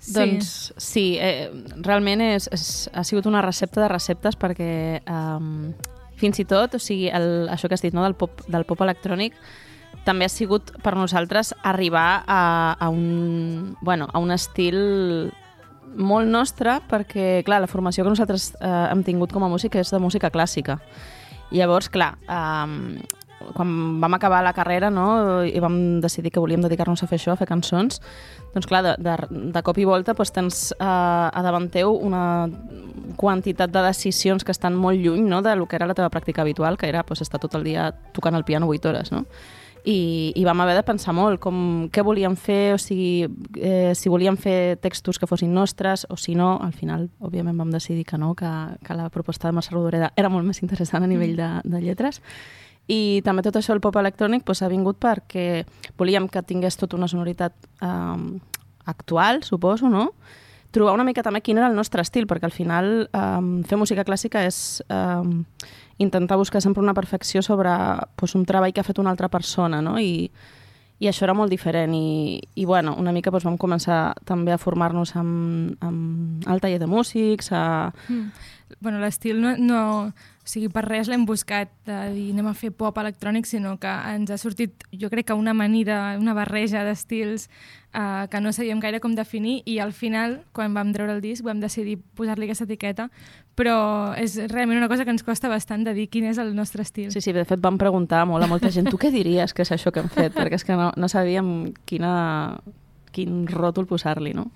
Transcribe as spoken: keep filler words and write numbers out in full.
Sí. Doncs sí, eh, realment és, és, ha sigut una recepta de receptes perquè um, fins i tot, o sigui, el, això que has dit, no, del pop, del pop electrònic, també ha sigut per nosaltres arribar a, a, un, bueno, a un estil molt nostre, perquè, clar, la formació que nosaltres eh, hem tingut com a música és de música clàssica. I llavors, clar, eh, quan vam acabar la carrera, no, i vam decidir que volíem dedicar-nos a fer això, a fer cançons, doncs clar, de, de, de cop i volta doncs, tens eh, a davant teu una quantitat de decisions que estan molt lluny, no, de lo que era la teva pràctica habitual, que era doncs, estar tot el dia tocant el piano vuit hores, no? I, i vam haver de pensar molt com què volíem fer, o sigui, eh, si volíem fer textos que fossin nostres o si no, al final, òbviament, vam decidir que no, que, que la proposta de Mercè Rodoreda era molt més interessant a nivell de, de lletres. I també tot això, el pop electrònic, doncs, ha vingut perquè volíem que tingués tota una sonoritat eh, actual, suposo, no? Trobar una mica també quin era el nostre estil, perquè al final eh, fer música clàssica és eh, intentar buscar sempre una perfecció sobre pues, un treball que ha fet una altra persona, no? I, i això era molt diferent. I, i bueno, una mica pues, vam començar també a formar-nos amb, amb el taller de músics. A... Mm. Bueno, l'estil no, no... O sigui, per res l'hem buscat de dir anem a fer pop electrònic, sinó que ens ha sortit, jo crec que una amanida, una barreja d'estils eh, que no sabíem gaire com definir i al final, quan vam treure el disc, vam decidir posar-li aquesta etiqueta, però és realment una cosa que ens costa bastant de dir quin és el nostre estil. Sí, sí, de fet vam preguntar molt a molta gent, tu què diries que és això que hem fet? Perquè és que no, no sabíem quina, quin ròtol posar-li, no?